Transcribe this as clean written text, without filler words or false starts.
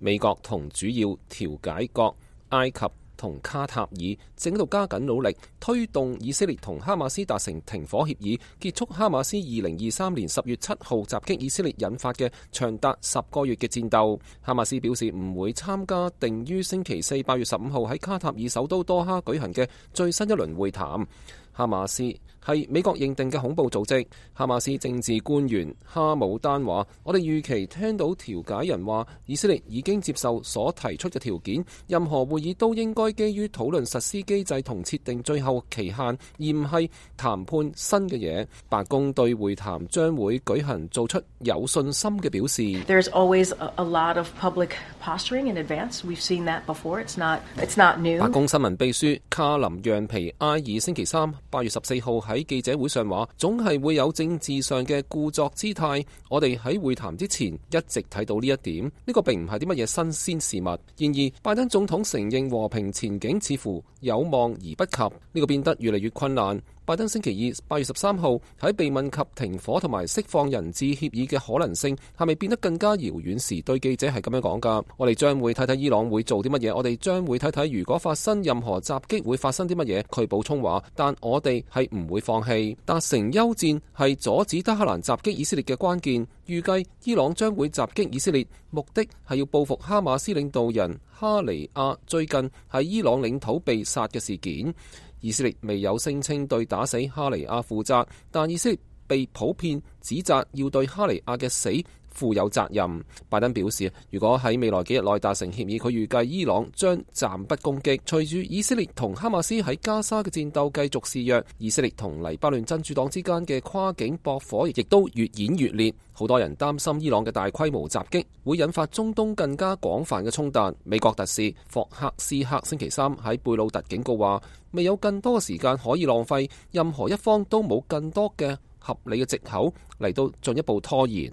美國同主要調解國埃及同卡塔爾正喺度加緊努力，推動以色列同哈馬斯達成停火協議，結束哈馬斯2023年10月7號襲擊以色列引發嘅長達10個月嘅戰鬥。哈馬斯表示唔會參加定於星期四8月15號喺卡塔爾首都多哈舉行嘅最新一輪會談。哈馬斯係美國認定嘅恐怖組織。哈馬斯政治官員哈姆丹話：我哋預期聽到調解人話，以色列已經接受所提出嘅條件，任何會議都應該基於討論實施機制同設定最後期限，而唔係談判新嘅嘢。白宮對會談將會舉行做出有信心嘅表示。There's always a lot of public posturing in advance. We've seen that before. It's not new. 白宮新聞秘書卡林讓皮埃爾星期三8月14號喺記者會上話，總係會有政治上嘅故作姿態。我哋喺會談之前一直睇到呢一點，呢個並唔係啲乜嘢新鮮事物。然而，拜登總統承認和平前景似乎有望而不及，呢個變得越嚟越困難。拜登星期二8月13號喺被問及停火同埋釋放人質協議嘅可能性係咪變得更加遙遠時，對記者係咁樣講㗎。我哋將會睇睇伊朗會做啲乜嘢，我哋將會睇睇如果發生任何襲擊會發生啲乜嘢。佢補充話，但我哋係唔會放棄。達成休戰係阻止德黑蘭襲擊以色列嘅關鍵。預計伊朗將會襲擊以色列，目的係要報復哈馬斯領導人哈尼亞最近喺伊朗領土被殺嘅事件。以色列未有聲稱對打死哈尼亞負責，但以色列被普遍指責要對哈尼亞嘅死負有責任。拜登表示，如果喺未來幾日內達成協議，佢預計伊朗將暫不攻擊。隨住以色列同哈馬斯喺加沙嘅戰鬥繼續肆虐，以色列同黎巴嫩真主黨之間嘅跨境駁火亦都越演越烈。好多人擔心伊朗嘅大規模襲擊會引發中東更加廣泛嘅衝突。美國特使霍克斯克星期三喺貝魯特警告話，未有更多嘅時間可以浪費，任何一方都冇更多嘅合理嘅藉口嚟到進一步拖延。